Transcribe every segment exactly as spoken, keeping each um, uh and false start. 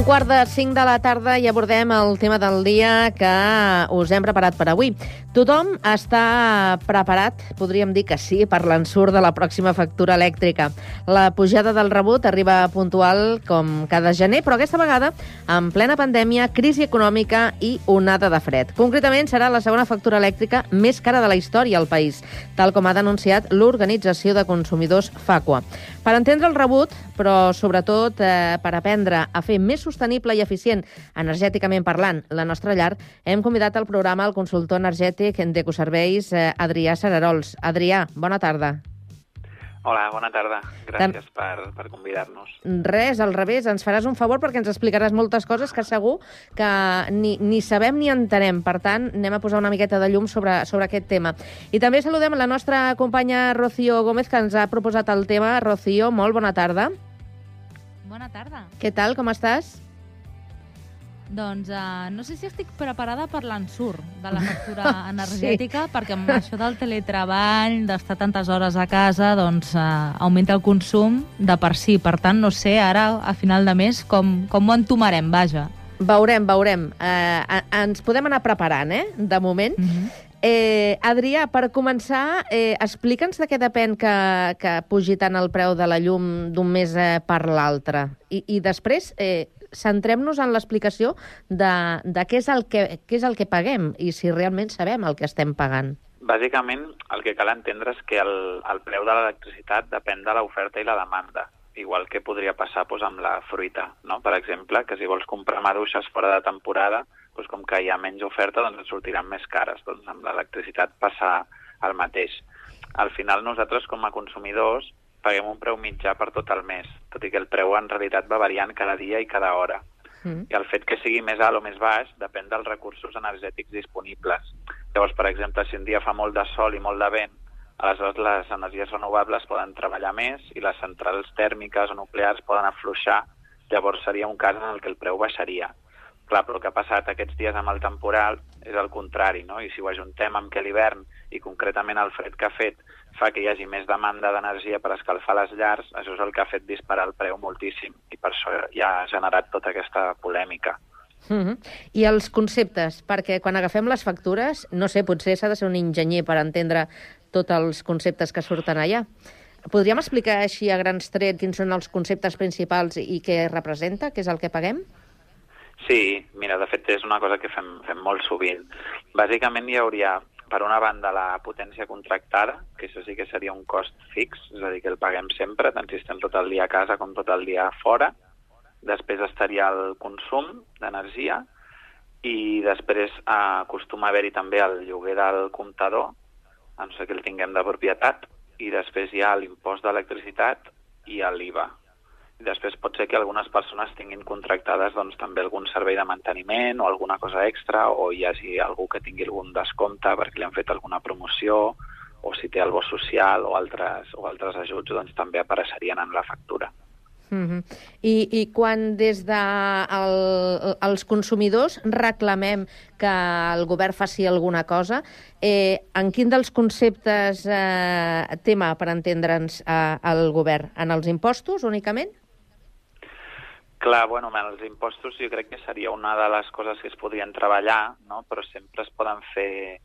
Un quart de cinc de la tarda i abordem el tema del dia que us hem preparat per avui. Tothom està preparat, podríem dir que sí, per l'ensurt de la pròxima factura elèctrica. La pujada del rebut arriba puntual com cada gener, però aquesta vegada en plena pandèmia, crisi econòmica i onada de fred. Concretament, serà la segona factura elèctrica més cara de la història al país, tal com ha denunciat l'Organització de Consumidors FACUA. Per entendre el rebut, però sobretot eh, per aprendre a fer més sostenible i eficient energèticament parlant la nostra llar, hem convidat al programa el consultor energètic d'Ecoserveis, eh, Adrià Serarols. Adrià, bona tarda. Hola, bona tarda. Gràcies per, per convidar-nos. Res, al revés, ens faràs un favor perquè ens explicaràs moltes coses que segur que ni, ni sabem ni entenem. Per tant, anem a posar una miqueta de llum sobre, sobre aquest tema. I també saludem la nostra companya Rocío Gómez, que ens ha proposat el tema. Rocío, molt bona tarda. Bona tarda. Què tal, com estàs? Doncs uh, no sé si estic preparada per l'ensurt de la factura energètica, sí. Perquè amb això del teletreball, d'estar tantes hores a casa, doncs uh, augmenta el consum de per si. Per tant, no sé ara, a final de mes, com, com ho entomarem, vaja. Veurem, veurem. Uh, ens podem anar preparant, eh?, de moment. Uh-huh. Eh, Adrià, per començar, eh, explica'ns de què depèn que, que pugi tant el preu de la llum d'un mes eh, per l'altre. I, I després, eh, centrem-nos en l'explicació de, de què, és el que, què és el que paguem i si realment sabem el que estem pagant. Bàsicament, el que cal entendre és que el, el preu de l'electricitat depèn de l'oferta i la demanda, igual que podria passar doncs, amb la fruita, no? Per exemple, que si vols comprar maduixes fora de temporada, doncs, com que hi ha menys oferta, doncs et sortiran més cares. Doncs amb l'electricitat passa el mateix. Al final, nosaltres, com a consumidors, paguem un preu mitjà per tot el mes, tot i que el preu en realitat va variant cada dia i cada hora. Mm. I el fet que sigui més alt o més baix depèn dels recursos energètics disponibles. Llavors, per exemple, si un dia fa molt de sol i molt de vent, aleshores les energies renovables poden treballar més i les centrals tèrmiques o nuclears poden afluixar, llavors seria un cas en el que el preu baixaria. Clar, però el que ha passat aquests dies amb el temporal és el contrari, no? I si ho ajuntem amb que l'hivern i concretament el fred que ha fet fa que hi hagi més demanda d'energia per escalfar les llars, això és el que ha fet disparar el preu moltíssim i per això ja ha generat tota aquesta polèmica. Mm-hmm. I els conceptes, perquè quan agafem les factures, no sé, potser s'ha de ser un enginyer per entendre tots els conceptes que surten allà. Podríem explicar així a grans trets quins són els conceptes principals i què representa, què és el que paguem? Sí, mira, de fet és una cosa que fem, fem molt sovint. Bàsicament hi hauria, per una banda, la potència contractada, que això sí que seria un cost fix, és a dir, que el paguem sempre, tant si estem tot el dia a casa com tot el dia fora. Després estaria el consum d'energia i després eh, acostuma a haver-hi també el lloguer del comptador, a no ser que el tinguem de propietat, i després hi ha l'impost d'electricitat i l'I V A. I després pot ser que algunes persones tinguin contractades doncs, també algun servei de manteniment o alguna cosa extra, o hi hagi algú que tingui algun descompte perquè li han fet alguna promoció, o si té el bo social o altres, o altres ajuts, doncs també apareixerien en la factura. Mm-hmm. I, I quan des de el, els consumidors reclamem que el govern faci alguna cosa, eh, en quin dels conceptes eh, tema per entendre'ns eh, el govern? En els impostos únicament? Clar, bueno, els impostos jo crec que seria una de les coses que es podrien treballar, no? Però sempre es poden fer,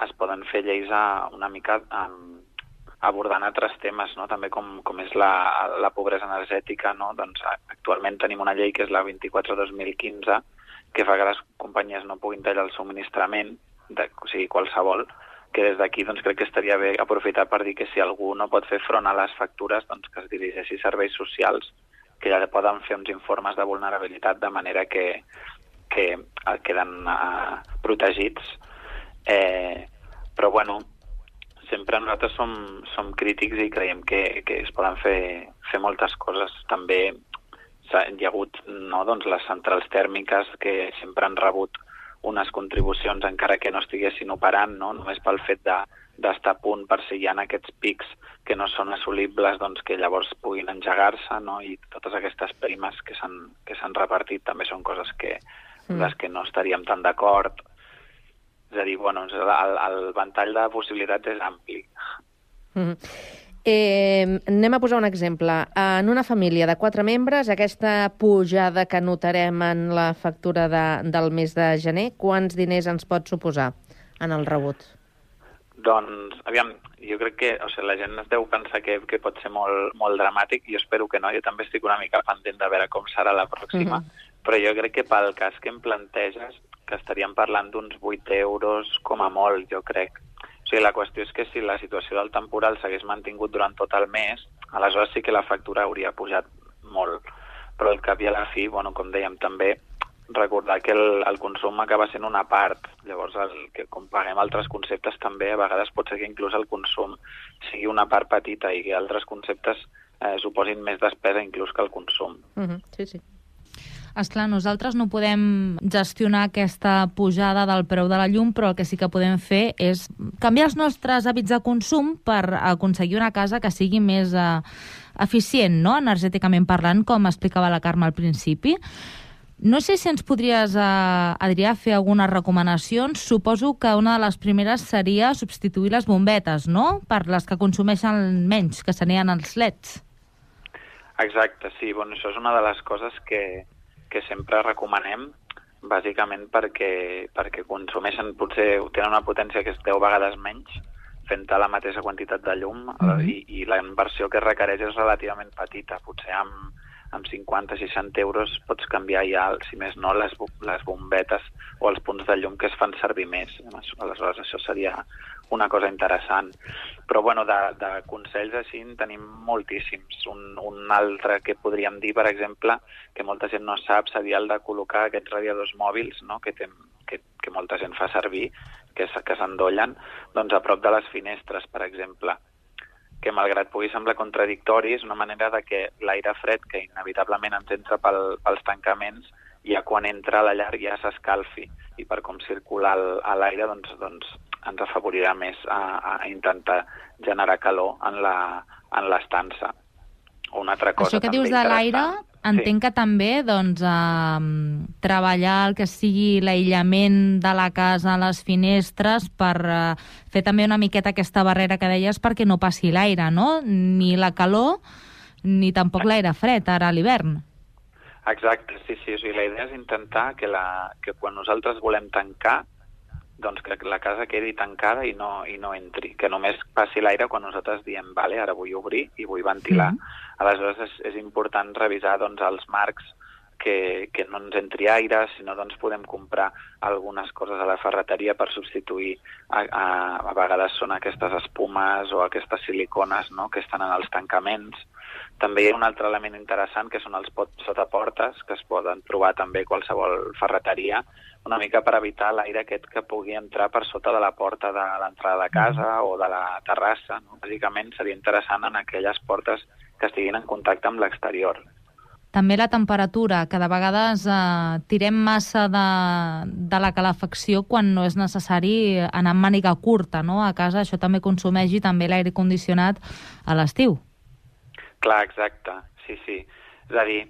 es poden fer lleis a, una mica um, abordant altres temes, no? També com, com és la, la pobresa energètica, no? Doncs actualment tenim una llei que és la vint-i-quatre dos mil quinze que fa que les companyies no puguin tallar el subministrament, de, o sigui, qualsevol, que des d'aquí doncs, crec que estaria bé aprofitar per dir que si algú no pot fer front a les factures, doncs que es dirigeixi a serveis socials, que ja poden fer uns informes de vulnerabilitat de manera que, que queden uh, protegits. Eh, però, bueno, sempre nosaltres som, som crítics i creiem que, que es poden fer, fer moltes coses. També hi ha hagut no, doncs, les centrals tèrmiques que sempre han rebut unes contribucions encara que no estiguessin operant, no? Només pel fet de d'estar a punt per si hi ha aquests pics que no són assolibles, doncs que llavors puguin engegar-se, no? I totes aquestes primes que s'han que s'han repartit també són coses que mm. les que no estaríem tan d'acord. És a dir, bueno, el, el ventall de possibilitats és ampli. Mm. Eh, anem a posar un exemple. En una família de quatre membres, aquesta pujada que notarem en la factura de, del mes de gener, quants diners ens pot suposar en el rebut? Doncs, aviam, jo crec que o sigui, la gent es deu pensar que, que pot ser molt, molt dramàtic, jo espero que no, jo també estic una mica pendent de veure com serà la pròxima, mm-hmm. però jo crec que pel cas que em planteges, que estaríem parlant d'uns vuit euros com a molt, jo crec. O sigui, la qüestió és que si la situació del temporal s'hagués mantingut durant tot el mes, aleshores sí que la factura hauria pujat molt, però al cap i a la fi, bueno, com dèiem també, recordar que el, el consum acaba sent una part, llavors el, que com paguem altres conceptes també, a vegades pot ser que inclús el consum sigui una part petita i que altres conceptes eh, suposin més despesa inclús que el consum. Mm-hmm. Sí, sí. Esclar, nosaltres no podem gestionar aquesta pujada del preu de la llum, però el que sí que podem fer és canviar els nostres hàbits de consum per aconseguir una casa que sigui més eh, eficient, no?, energèticament parlant, com explicava la Carme al principi. No sé si ens podries, eh, Adrià, fer algunes recomanacions. Suposo que una de les primeres seria substituir les bombetes, no?, per les que consumeixen menys, que serien els leds. Exacte, sí. Bueno, això és una de les coses que, que sempre recomanem, bàsicament perquè, perquè consumeixen, potser tenen una potència que és deu vegades menys, fent la mateixa quantitat de llum, mm-hmm. i, i la inversió que requereix és relativament petita. Potser amb amb cinquanta seixanta euros pots canviar ja, si més no, les, les bombetes o els punts de llum que es fan servir més. Aleshores, això seria una cosa interessant. Però, bueno, de, de consells així en tenim moltíssims. Un, un altre que podríem dir, per exemple, que molta gent no sap, seria el de col·locar aquests radiadors mòbils, no?, que, tem, que, que molta gent fa servir, que, que s'endollen, doncs a prop de les finestres, per exemple, que malgrat pugui semblar contradictori, és una manera de que l'aire fred, que inevitablement ens entra pel, pels tancaments, ja quan entra a la llar ja s'escalfi, i per com circula l'aire doncs, doncs ens afavorirà més a, a intentar generar calor en l'estança. Una altra cosa Això que dius de l'aire, entenc sí. que també doncs, eh, treballar el que sigui l'aïllament de la casa a les finestres per eh, fer també una miqueta aquesta barrera que deies perquè no passi l'aire, no? Ni la calor ni tampoc l'aire fred ara a l'hivern. Exacte, sí, sí. O sigui, la idea és intentar que, la, que quan nosaltres volem tancar, doncs que la casa quedi tancada i no, i no entri, que només passi l'aire quan nosaltres diem, vale, ara vull obrir i vull ventilar. Mm-hmm. Aleshores és, és important revisar doncs, els marcs que, que no ens entri aire, si no doncs podem comprar algunes coses a la ferreteria per substituir, a, a, a vegades són aquestes espumes o aquestes silicones, no?, que estan en els tancaments. També hi ha un altre element interessant que són els pots sotaportes, que es poden trobar també a qualsevol ferreteria, una mica per evitar l'aire aquest que pugui entrar per sota de la porta de l'entrada de casa o de la terrassa, no? Bàsicament seria interessant en aquelles portes que estiguin en contacte amb l'exterior. També la temperatura, que de vegades eh, tirem massa de, de la calefacció quan no és necessari anar amb màniga curta, no? A casa això també consumeix i també l'aire condicionat a l'estiu. Clar, exacte, sí, sí. És a dir,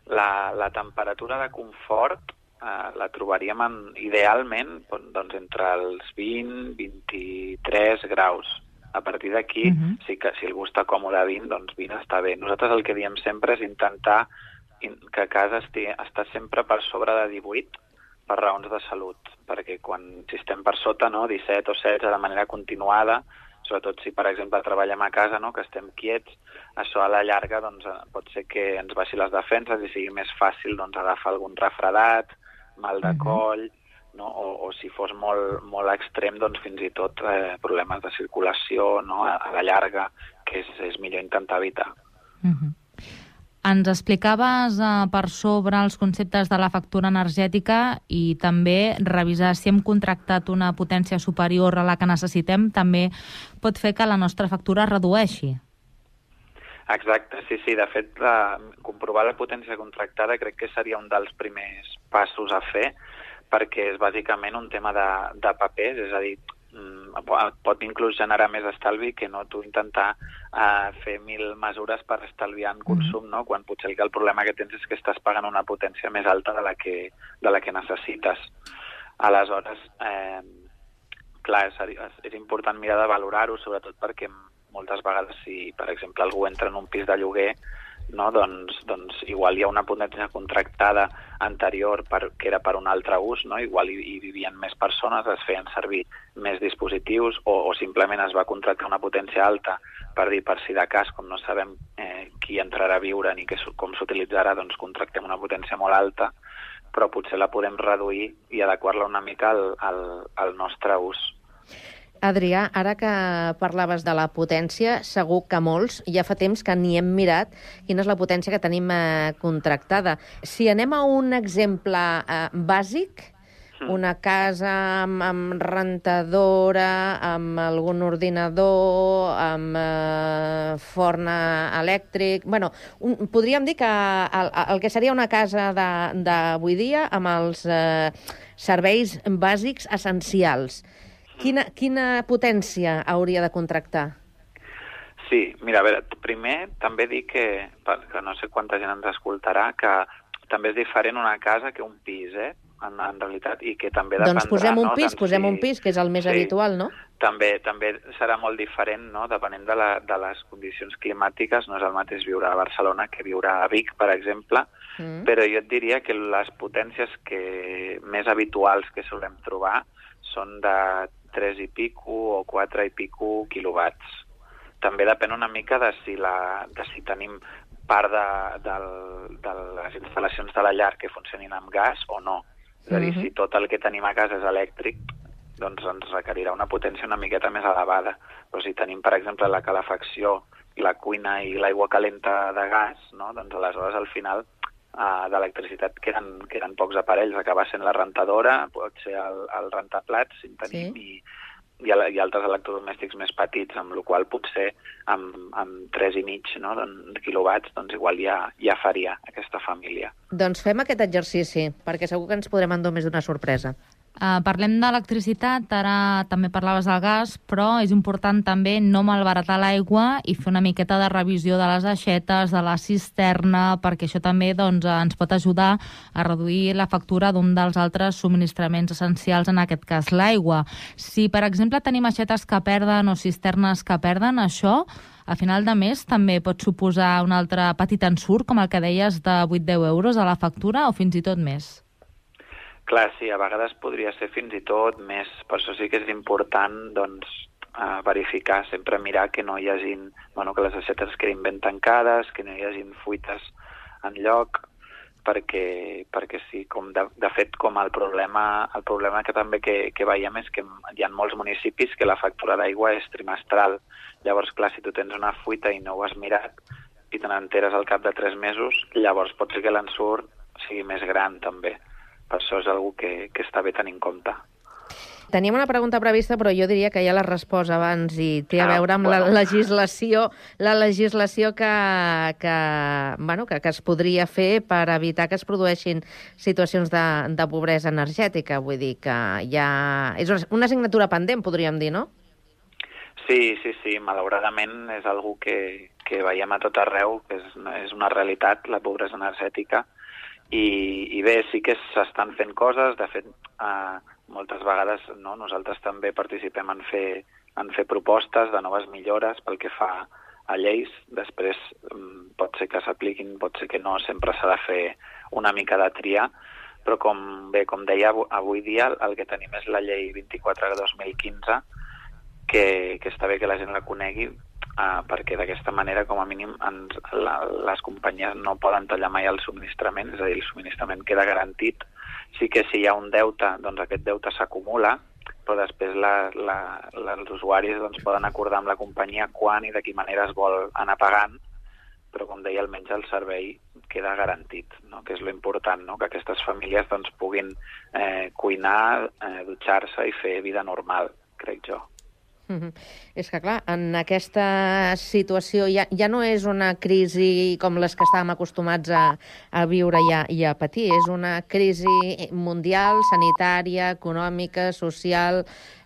la, la temperatura de confort eh, la trobaríem en, idealment doncs, entre els vint i vint-i-tres graus. A partir d'aquí, uh-huh. sí que si algú està còmode a vint, doncs vint està bé. Nosaltres el que diem sempre és intentar que a casa estigui, està sempre per sobre de divuit per raons de salut, perquè quan si estem per sota, no, disset o setze de manera continuada, sobretot si, per exemple, treballem a casa, no?, que estem quiets, això a la llarga doncs, pot ser que ens baixi les defenses i sigui més fàcil doncs, agafar algun refredat, mal de coll, no? o, o si fos molt, molt extrem, doncs fins i tot eh, problemes de circulació, no?, a, a la llarga, que és, és millor intentar evitar. Uh-huh. Ens explicaves eh, per sobre els conceptes de la factura energètica i també revisar si hem contractat una potència superior a la que necessitem també pot fer que la nostra factura es redueixi. Exacte, sí, sí. De fet, la, comprovar la potència contractada crec que seria un dels primers passos a fer, perquè és bàsicament un tema de, de papers, és a dir, pot inclús generar més estalvi que no tu intentar uh, fer mil mesures per estalviar en consum, no? Quan potser el, el problema que tens és que estàs pagant una potència més alta de la que, de la que necessites. Aleshores, eh, clar, és, és important mirar de valorar-ho, sobretot perquè moltes vegades si, per exemple, algú entra en un pis de lloguer, no? doncs, doncs igual hi ha una potència contractada anterior per, que era per un altre ús, no? Igual hi, hi vivien més persones, es feien servir més dispositius o, o simplement es va contractar una potència alta per dir, per si de cas, com no sabem eh, qui entrarà a viure ni que, com s'utilitzarà, doncs contractem una potència molt alta, però potser la podem reduir i adequar-la una mica al, al, al nostre ús. Adrià, ara que parlaves de la potència, segur que molts ja fa temps que ni hem mirat quina és la potència que tenim eh, contractada. Si anem a un exemple eh, bàsic, una casa amb, amb rentadora, amb algun ordinador, amb eh, forn elèctric... Bueno, un, podríem dir que el, el que seria una casa d'avui dia amb els eh, serveis bàsics essencials. Quina, quina potència hauria de contractar? Sí, mira, a veure, primer també dic que, que no sé quanta gent ens escoltarà, que també és diferent una casa que un pis, eh? En, en realitat, i que també dependrà... Doncs posem un no? pis, Tant posem si... un pis, que és el més sí, habitual, no? També, també serà molt diferent, no? Depenent de, la, de les condicions climàtiques. No és el mateix viure a Barcelona que viure a Vic, per exemple, mm. però jo et diria que les potències que més habituals que solem trobar són de tres i pico o quatre i pico quilowatts. També depèn una mica de si, la, de si tenim part de, de, de les instal·lacions de la llar que funcionin amb gas o no. És a dir, mm-hmm. si tot el que tenim a casa és elèctric, doncs ens requerirà una potència una miqueta més elevada. Però si tenim, per exemple, la calefacció, la cuina i l'aigua calenta de gas, no? Doncs aleshores al final Uh, d'electricitat queden, queden pocs aparells, acaba sent la rentadora, pot ser el, el rentaplats, si en tenim, sí. i, i, i altres electrodomèstics més petits, amb la qual potser amb, amb tres i mig no, quilowatts doncs igual ja, ja faria aquesta família. Doncs fem aquest exercici, perquè segur que ens podrem endur més d'una sorpresa. Uh, parlem d'electricitat, ara també parlaves del gas, però és important també no malbaratar l'aigua i fer una miqueta de revisió de les aixetes, de la cisterna, perquè això també doncs, ens pot ajudar a reduir la factura d'un dels altres subministraments essencials, en aquest cas l'aigua. Si, per exemple, tenim aixetes que perden o cisternes que perden, això a final de mes també pot suposar un altre petit ensurt, com el que deies, de vuit a deu euros a la factura o fins i tot més. Clar, sí, a vegades podria ser fins i tot més. Per això sí que és important doncs, eh, verificar, sempre mirar que no hi hagin, bueno, que les aixetes quedin ben tancades, que no hi hagin fuites en lloc, perquè, perquè sí, com de, de fet, com el problema, el problema que també que, que veiem és que hi ha molts municipis que la factura d'aigua és trimestral. Llavors, clar, si tu tens una fuita i no ho has mirat i te n'enteres al cap de tres mesos, llavors pot ser que l'ensurt sigui més gran també. Per això és una que, que està bé tenir en compte. Teníem una pregunta prevista, però jo diria que ja l'has respost abans i té a veure amb ah, bueno. la legislació, la legislació que, que, bueno, que, que es podria fer per evitar que es produeixin situacions de, de pobresa energètica. Vull dir que ja és una assignatura pendent, podríem dir, no? Sí, sí, sí. Malauradament és algo que, que veiem a tot arreu, que és, és una realitat, la pobresa energètica. I, i bé, sí que s'estan fent coses, de fet, eh, moltes vegades no, nosaltres també participem en fer, en fer propostes de noves millores pel que fa a lleis, després um, pot ser que s'apliquin, pot ser que no, sempre s'ha de fer una mica de triar, però com bé, com deia, avui dia el que tenim és la llei vint-i-quatre dos mil quinze, que, que està bé que la gent la conegui, Uh, perquè d'aquesta manera, com a mínim, ens, la, les companyies no poden tallar mai el subministrament, és a dir, el subministrament queda garantit. Sí que si hi ha un deute, doncs aquest deute s'acumula, però després la, la, la, els usuaris doncs, poden acordar amb la companyia quan i de quina manera es vol anar pagant, però, com deia, almenys el servei queda garantit, no? Que és lo important, no? Que aquestes famílies doncs, puguin eh, cuinar, eh, dutxar-se i fer vida normal, crec jo. Mm-hmm. És que, clar, en aquesta situació ja, ja no és una crisi com les que estàvem acostumats a, a viure i a, i a patir. És una crisi mundial, sanitària, econòmica, social,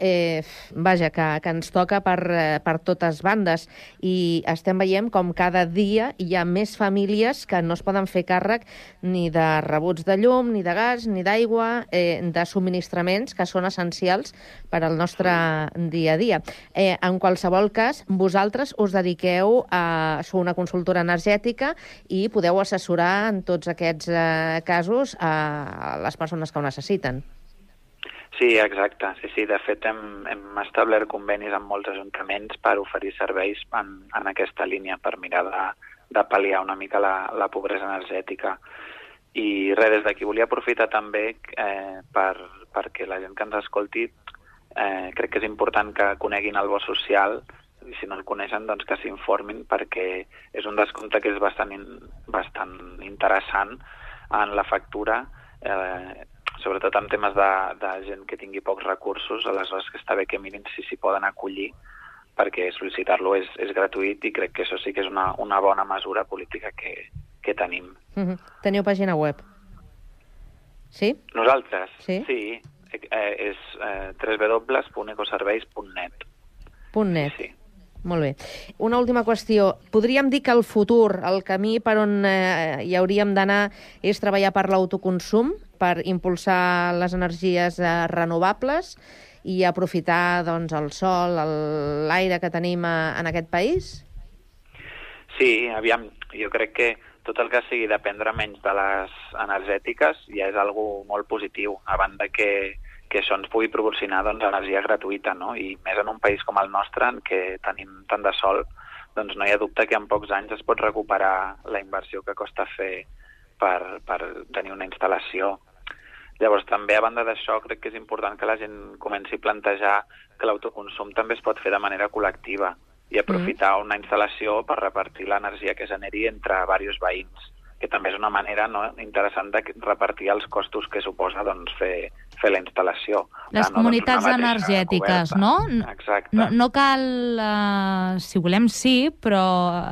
eh, vaja, que, que ens toca per, per totes bandes i estem veient com cada dia hi ha més famílies que no es poden fer càrrec ni de rebuts de llum, ni de gas, ni d'aigua, eh, de subministraments que són essencials per al nostre dia a dia. Eh, en qualsevol cas, vosaltres us dediqueu a ser una consultora energètica i podeu assessorar en tots aquests eh, casos a les persones que ho necessiten. Sí, exacte. Sí, sí. De fet, hem, hem establert convenis amb molts ajuntaments per oferir serveis en, en aquesta línia, per mirar de, de pal·liar una mica la, la pobresa energètica. I res, des d'aquí volia aprofitar també eh, per, perquè la gent que ens escolti eh, crec que és important que coneguin el bo social i si no el coneixen, doncs que s'informin perquè és un descompte que és bastant, in, bastant interessant en la factura, eh, sobretot en temes de, de gent que tingui pocs recursos, aleshores que està bé que mirin si s'hi poden acollir, perquè sol·licitar-lo és, és gratuït i crec que això sí que és una, una bona mesura política que, que tenim. Mm-hmm. Teniu pàgina web? Sí? Nosaltres? Sí. Sí, eh, és eh, w w w punt ecoserveis punt net. Punt net. Sí, sí. Molt bé. Una última qüestió. Podríem dir que el futur, el camí per on eh, hi hauríem d'anar és treballar per l'autoconsum, per impulsar les energies eh, renovables i aprofitar doncs, el sol, l'aire que tenim a, en aquest país? Sí, aviam, jo crec que tot el que sigui dependre menys de les energètiques ja és algo molt positiu, a banda que que això ens pugui proporcionar doncs, energia gratuïta, no? I més en un país com el nostre, en què tenim tant de sol, doncs no hi ha dubte que en pocs anys es pot recuperar la inversió que costa fer per, per tenir una instal·lació. Llavors, també, a banda d'això, crec que és important que la gent comenci a plantejar que l'autoconsum també es pot fer de manera col·lectiva i aprofitar una instal·lació per repartir l'energia que generi entre diversos veïns, que també és una manera no, interessant de repartir els costos que suposa doncs, fer, fer la instal·lació. Les no, comunitats doncs, energètiques, no? Exacte. No, no cal, uh, si volem sí, però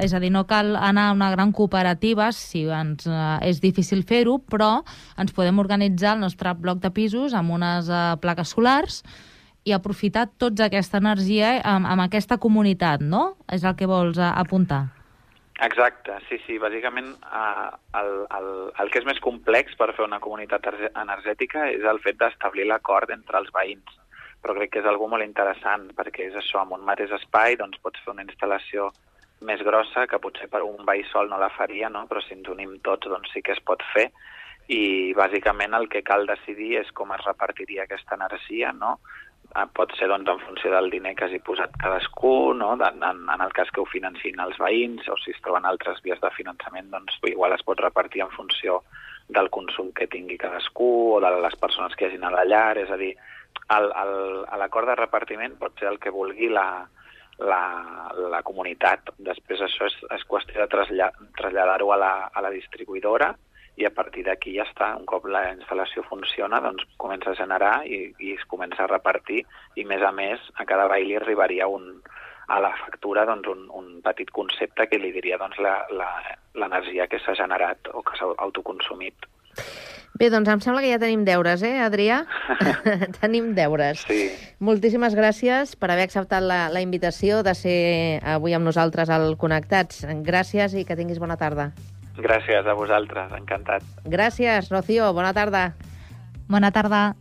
és a dir, no cal anar a una gran cooperativa si ens, uh, és difícil fer-ho, però ens podem organitzar el nostre bloc de pisos amb unes uh, plaques solars i aprofitar tota aquesta energia amb, amb aquesta comunitat, no? És el que vols uh, apuntar. Exacte, sí, sí. Bàsicament, eh, el, el, el que és més complex per fer una comunitat energètica és el fet d'establir l'acord entre els veïns. Però crec que és algo molt interessant, perquè és això, amb un mateix espai doncs pots fer una instal·lació més grossa, que potser per un veí sol no la faria, no? Però si ens unim tots doncs sí que es pot fer. I bàsicament el que cal decidir és com es repartiria aquesta energia, no? Pot ser doncs, en funció del diner que hagi posat cadascú, no? en, en el cas que ho financin els veïns, o si es troben altres vies de finançament, doncs igual es pot repartir en funció del consum que tingui cadascú o de les persones que hi hagin a la llar. És a dir, l'acord de repartiment pot ser el que vulgui la, la, la comunitat. Després això és, és qüestió de traslladar-ho a, la, a la distribuïdora i a partir d'aquí ja està. Un cop la instal·lació funciona, doncs comença a generar i, i es comença a repartir i, més a més, a cada veí li arribaria un, a la factura doncs, un, un petit concepte que li diria doncs, l'energia que s'ha generat o que s'ha autoconsumit. Bé, doncs em sembla que ja tenim deures, eh, Adrià? Tenim deures. Sí. Moltíssimes gràcies per haver acceptat la, la invitació de ser avui amb nosaltres al Connectats. Gràcies i que tinguis bona tarda. Gràcies a vosaltres, encantat. Gràcies, Rocío, bona tarda. Bona tarda.